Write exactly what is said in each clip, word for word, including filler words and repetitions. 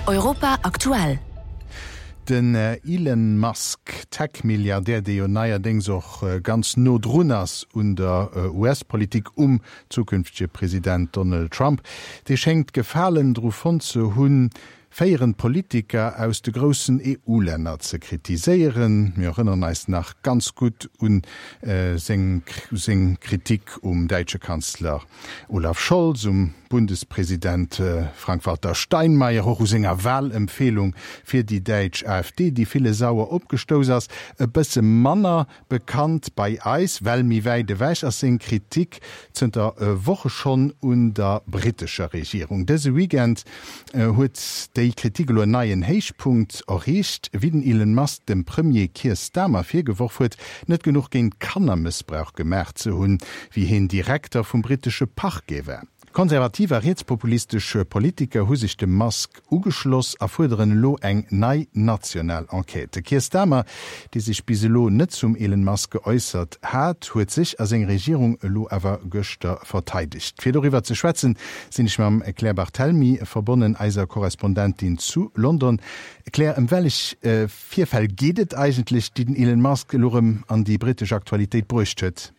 Europa aktuell. Den Elon Musk, Tech-Milliardär, dee jo neierdéngs och ganz no drun ass un der U S-Politik, um zukünftege President Donald Trump, dee schéngt Gefalen dru fonnt ze hunn, féierend Politiker aus de groussen E U-Länner ze kritiséieren. Mir erënneren eis nach ganz gutt un seng seng Kritik um däitsche Kanzler Olaf Scholz, um Bundespresident Frank-Walter Steinmeier, och u senger Walempfeelung fir déi däitsch A F D, déi ville sauer opgestouss ass. E bësse manner bekannt bei eis, well méi wäit ewech, ass seng Kritik zënter Woche schonn un der brittescher Regierung. Dëse Weekend huet déi Kritik elo en neien Héichpunkt erreecht, wéi den Elon Musk dem Premier Keir Starmer virgeworf huet, net genuch géint Kannermëssbrauch gemaach ze hunn, wéi hien Direkter vum brittesche Parquet war. Konservativ a rietspopulistesch Politiker hu sech dem Musk ugeschloss a fuerderen elo eng nei national Enquête. De Keir Starmer, dee sech bis elo net zum Elon Musk geäussert hat, huet sech a seng Regierung elo awer gëschter verteidegt. Fir doriwwer ze schwätzen, sinn ech mam Claire Barthelmy verbonnen, eiser Korrespondentin zu London. Claire, ëm wellech Virfäll geet et eigentlech, déi den Elon Musk elo rëm an déi brittesch Aktualitéit bruecht huet?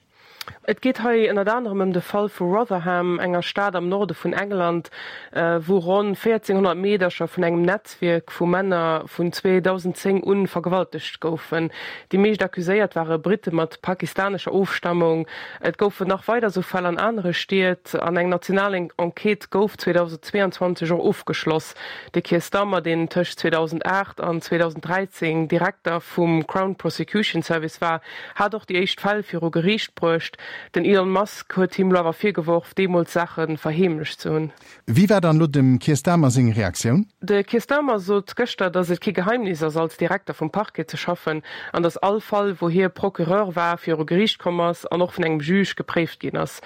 Et geet hei ënnert anerem ëm de Fall vu Rotherham, enger Stad am Norde vun England, wou ronn véierzehnhonnert Meedercher vun engem Netzwierk vu Männer vun zweedausendzéng un vergewaltegt goufen. Déi meescht Accuséiert ware Britte mat pakistanescher Ofstammung. Et goufen nach weider sou Fäll an anere Stied an eng national Enquête gouf zweedausendzweeanzwanzeg och ofgeschloss. De Keir Starmer, deen tëscht zweedausenaacht an zweedausenddräizéng Direkter vum Crown Prosecution Service war, hat och déi éischt Fäll viru Geriicht bruecht. Den Elon Musk huet him elo awer virgeworf, deemools Saache verheemlecht ze hunn. Wéi war dann elo dem Keir Starmer seng Reaktioun? De Keir Starmer sot gëschter, datt et kee Geheimnis ass, als Direkter vum Parquet ze schaffen an datt all Fall, wou hie Procureur war, viru Geriicht komm ass an och vun engem Juge gepréift ginn ass.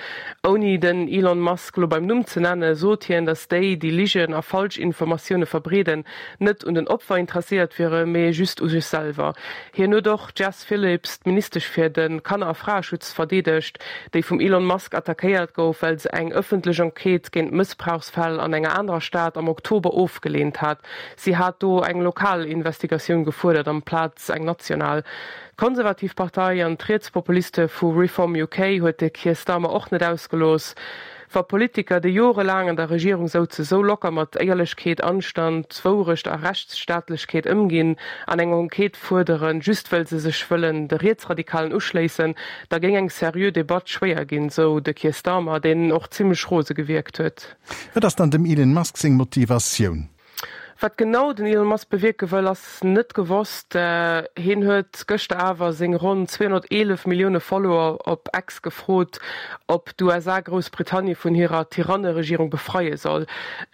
Ouni den Elon Musk elo beim Numm ze nennen, sot hien, datt déi, déi Ligen a falsch Informatioune verbreeden, net un den Opfer interesséiert wiere, mee just u sech selwer. Hien huet och d'Jess Phillips, d'Ministesch fir de Kanner a Fraeschutz, verdeedegt, déi vum Elon Musk attackéiert gouf, well se eng ëffentlech Enquête géint Mëssbrauchsfäll an enger anerer Stad am Oktober ofgeleent hat. Si hat do eng lokal Investigatioun gefuerdert amplaz eng national. D'Konservativ Partei an d'Rietspopuliste vu Reform U K huet de Keir Starmer och net ausgelooss. Wa Politiker, déi jorelaang an der Regierung souze sou locker mat Éierlechkeet, Anstand, Wourecht a Rechtsstaatlechkeet ëmginn an eng Enquête fuerderen, just wëll se sech wëllen de Rietsradikalen uschléissen, da géing eng seriö Debatt schwéier ginn, sou de Keir Starmer, deen och zimmlech rose gewierkt huet. Wat ass dann dem Elon Musk seng Motivatioun? Wat genau den Elon Musk bewierke wëll, ass net gewosst. Hien huet gëschter awer seng ronn zweehonnerteelef Millioune Follower op X gefrot, ob d'U S A Groussbritannie vun hirer Tyranneregierung befreie soll.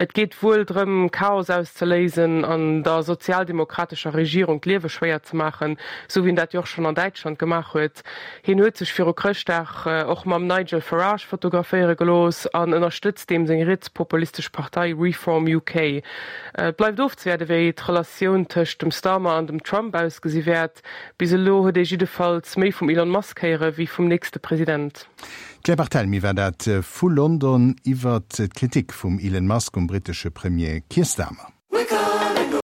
Et geet wuel drëm, Chaos auszeléisen an der sozialdemokratescher Regierung d'Liewe schwéier ze maachen, sou wéi en dat jo och schonn an Däitschland gemaach huet. Hien huet sech viru Chrëschtdag och mam Nigel Farage fotograféiere gelooss an ënnerstëtzt deem seng rietspopulistesch Partei Reform U K. Et bleift ofzewaarde wéi d'Relatioun tëscht dem Starmer an dem Trump ausgesi wäert. Bis elo huet ee jiddefalls méi vum Elon Musk héiere wéi vum nächste President. D'Claire Barthelmy war dat vu London iwwer d'Kritik vum Elon Musk um brittesche Premier Keir Starmer.